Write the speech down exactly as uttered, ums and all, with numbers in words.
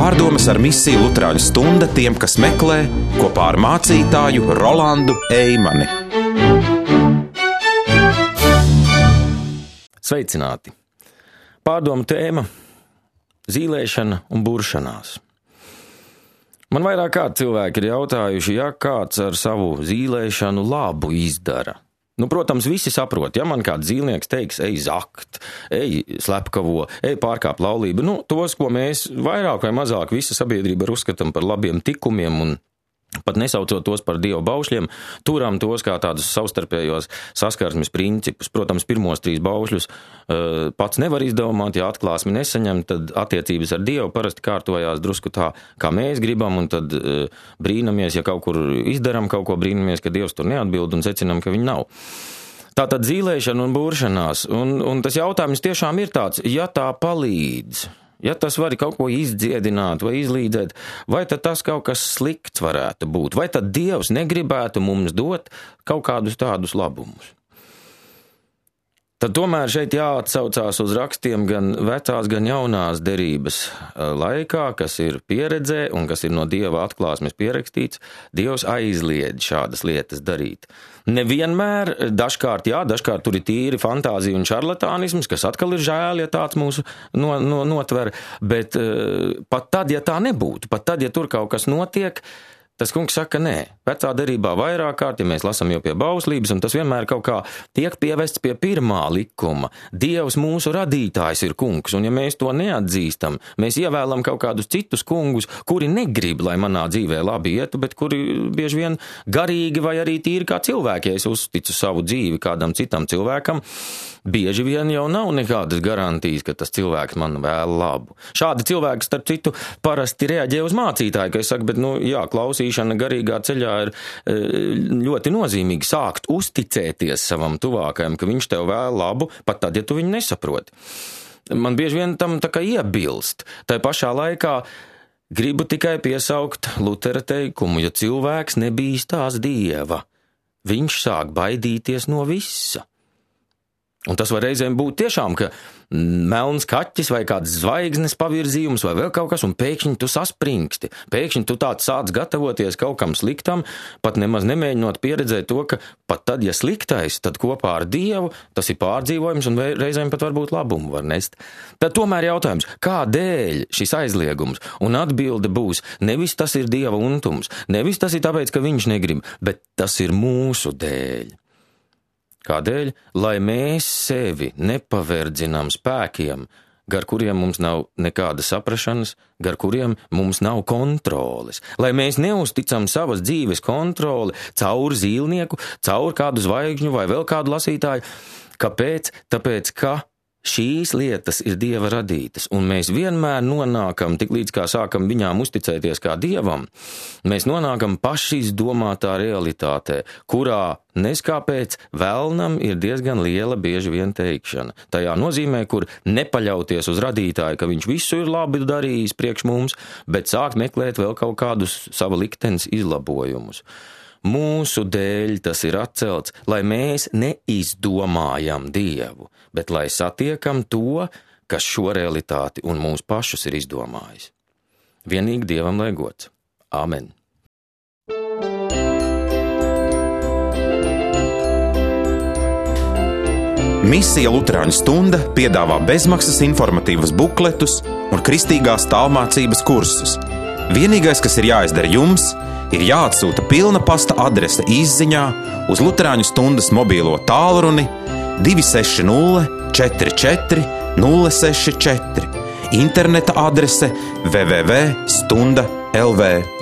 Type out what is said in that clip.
Pārdomas ar misiju Luterāņu stunda tiem, kas meklē, kopā ar mācītāju Rolandu Eimani. Sveicināti! Pārdomu tēma – zīlēšana un buršanās. Man vairāk kārt cilvēki ir jautājuši, ja kāds ar savu zīlēšanu labu izdara. Nu, protams, visi saprot, ja man kāds zīlnieks teiks, ej zakt, ej slepkavo, ej pārkāp laulību, nu, tos, ko mēs vairāk vai mazāk visa sabiedrība ir uzskatām par labiem tikumiem un pat nesaucot tos par dievu baušļiem, turam tos kā tādus savstarpējos saskarsmes principus. Protams, pirmos trīs baušļus uh, pats nevar izdomāt, ja atklāsmi nesaņem, tad attiecības ar dievu parasti kārtojās drusku tā, kā mēs gribam, un tad uh, brīnamies, ja kaut kur izdaram kaut ko, brīnamies, ka dievs tur neatbild un secinam, ka viņi nav. Tātad zīlēšana un buršanās, un, un tas jautājums tiešām ir tāds, ja tā palīdz, ja tas var kaut ko izdziedināt vai izlīdzēt, vai tad tas kaut kas slikts varētu būt, vai tad Dievs negribētu mums dot kaut kādus tādus labumus. Tad tomēr šeit jāatsaucās uz rakstiem gan vecās, gan jaunās derības laikā, kas ir pieredzē un kas ir no Dieva atklāsmes pierakstīts, Dievs aizliedz šādas lietas darīt. Nevienmēr, dažkārt jā, dažkārt tur ir tīri fantāzija un šarlatānisms, kas atkal ir žēl, ja tāds mūsu no, no, notver, bet uh, pat tad, ja tā nebūtu, pat tad, ja tur kaut kas notiek, tas kungs saka, nē, vecā derībā vairāk kārt, ja mēs lasam jau pie bauslības, un tas vienmēr kaut kā tiek pievests pie pirmā likuma. Dievs mūsu radītājs ir kungs, un ja mēs to neatzīstam, mēs ievēlam kaut kādus citus kungus, kuri negrib, lai manā dzīvē labi ietu, bet kuri bieži vien garīgi vai arī tīri kā cilvēki, ja es uzticu savu dzīvi kādam citam cilvēkam, bieži vien jau nav nekādas garantijas, ka tas cilvēks man vēl labu. Šādi cilvēki, starp citu, parasti reaģē uz mācītāju, ka es saku, bet, nu, jā, klausīšana garīgā ceļā ir ļoti nozīmīgi sākt uzticēties savam tuvākajam, ka viņš tev vēl labu, pat tad, ja tu viņu nesaproti. Man bieži vien tam tā kā iebilst. Tai pašā laikā gribu tikai piesaukt Lutera teikumu, ja cilvēks nebīstās Dieva, viņš sāk baidīties no visa. Un tas var reizēm būt tiešām, ka melns kaķis vai kāds zvaigznes pavirzījums vai vēl kaut kas, un pēkšņi tu saspringsti. Pēkšņi tu tāds sāc gatavoties kaut kam sliktam, pat nemaz nemēģinot pieredzēt to, ka pat tad, ja sliktais, tad kopā ar Dievu tas ir pārdzīvojums un reizēm pat varbūt labumu var nest. Tad tomēr jautājums, kādēļ šis aizliegums? Un atbilde būs, nevis tas ir Dieva untums, nevis tas ir tāpēc, ka viņš negrib, bet tas ir mūsu dēļ. Kādēļ? Lai mēs sevi nepaverdzinām spēkiem, gar kuriem mums nav nekāda saprašanas, gar kuriem mums nav kontroles. Lai mēs neuzticam savas dzīves kontroli caur zīlnieku, caur kādu zvaigžņu vai vēl kādu lasītāju. Kāpēc? Tāpēc, ka šīs lietas ir Dieva radītas, un mēs vienmēr nonākam, tik līdz kā sākam viņām uzticēties kā Dievam, mēs nonākam pašizdomātā realitātē, kurā neskāpēc vēlnam ir diezgan liela bieži vien teikšana. Tajā nozīmē, kur nepaļauties uz radītāju, ka viņš visu ir labi darījis priekš mums, bet sākt meklēt vēl kaut kādus sava liktenes izlabojumus. Mūsu dēļ tas ir atcelts, lai mēs neizdomājam Dievu, bet lai satiekam to, kas šo realitāti un mūsu pašus ir izdomājis. Vienīgi Dievam lai gods. Āmen. Misija Luterāņu stunda piedāvā bezmaksas informatīvus bukletus un kristīgās tālmācības kursus. Vienīgais, kas ir jāizdara jums, ir jāatsūta pilna pasta adrese izziņā uz Luterāņu stundas mobīlo tālruni divi seši nulle četri četri nulle seši četri, interneta adrese w w w punkt stunda punkt l v.